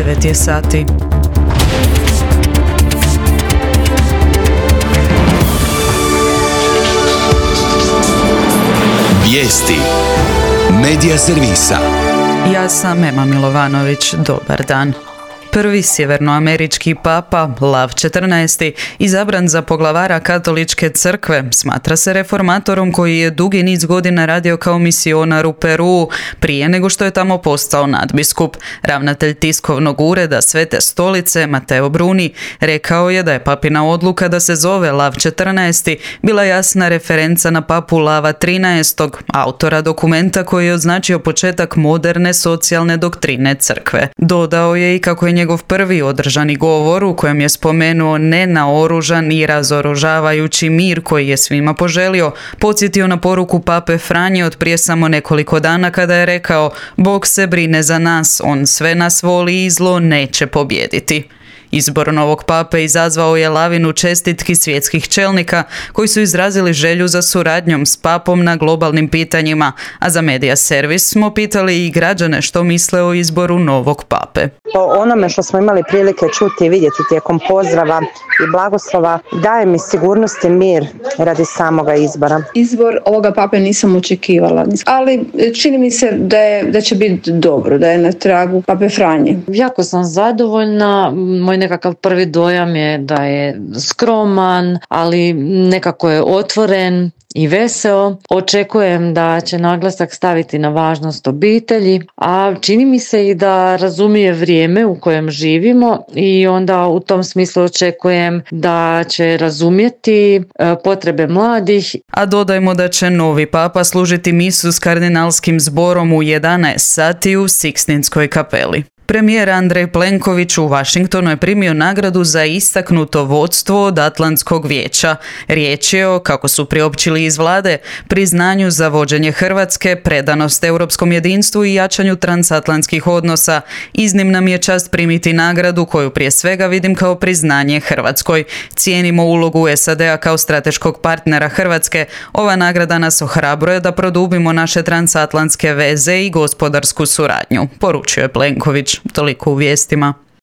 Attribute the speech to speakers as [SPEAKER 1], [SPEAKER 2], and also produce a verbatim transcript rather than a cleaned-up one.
[SPEAKER 1] devet je sati.
[SPEAKER 2] Vijesti Medija servisa.
[SPEAKER 1] Ja sam Ema Milovanović, dobar dan. Prvi sjevernoamerički papa, Lav četrnaesti, izabran za poglavara katoličke crkve, smatra se reformatorom koji je dugi niz godina radio kao misionar u Peruu, prije nego što je tamo postao nadbiskup. Ravnatelj tiskovnog ureda Svete stolice, Mateo Bruni, rekao je da je papina odluka da se zove Lav četrnaesti bila jasna referenca na papu Lava trinaestog, autora dokumenta koji je označio početak moderne socijalne doktrine crkve. Dodao je i kako je njegov prvi održani govor u kojem je spomenuo nenaoružan i razoružavajući mir koji je svima poželio, podsjetio na poruku pape Franje od prije samo nekoliko dana kada je rekao: Bog se brine za nas, on sve nas voli i zlo neće pobijediti. Izbor novog pape izazvao je lavinu čestitki svjetskih čelnika koji su izrazili želju za suradnjom s papom na globalnim pitanjima, a za Medija servis smo pitali i građane što misle o izboru novog pape.
[SPEAKER 3] Po onome što smo imali prilike čuti i vidjeti tijekom pozdrava i blagoslova, daje mi sigurnost i mir radi samoga izbora.
[SPEAKER 4] Izbor ovoga pape nisam očekivala, ali čini mi se da, je, da će biti dobro, da je na tragu pape Franje.
[SPEAKER 5] Jako sam zadovoljna, moj nekakav prvi dojam je da je skroman, ali nekako je otvoren i veseo. Očekujem da će naglasak staviti na važnost obitelji, a čini mi se i da razumije vrijeme u kojem živimo i onda u tom smislu očekujem da će razumjeti potrebe mladih.
[SPEAKER 1] A dodajmo da će novi papa služiti misu s kardinalskim zborom u jedanaest sati u Sikstinskoj kapeli. Premijer Andrej Plenković u Washingtonu je primio nagradu za istaknuto vodstvo od Atlantskog vijeća. Riječ je o, kako su priopćili iz vlade, priznanju za vođenje Hrvatske, predanost europskom jedinstvu i jačanju transatlantskih odnosa. Iznimna mi je čast primiti nagradu koju prije svega vidim kao priznanje Hrvatskoj. Cijenimo ulogu S A D-a kao strateškog partnera Hrvatske. Ova nagrada nas ohrabruje da produbimo naše transatlantske veze i gospodarsku suradnju, poručio je Plenković. Toliko u vijestima.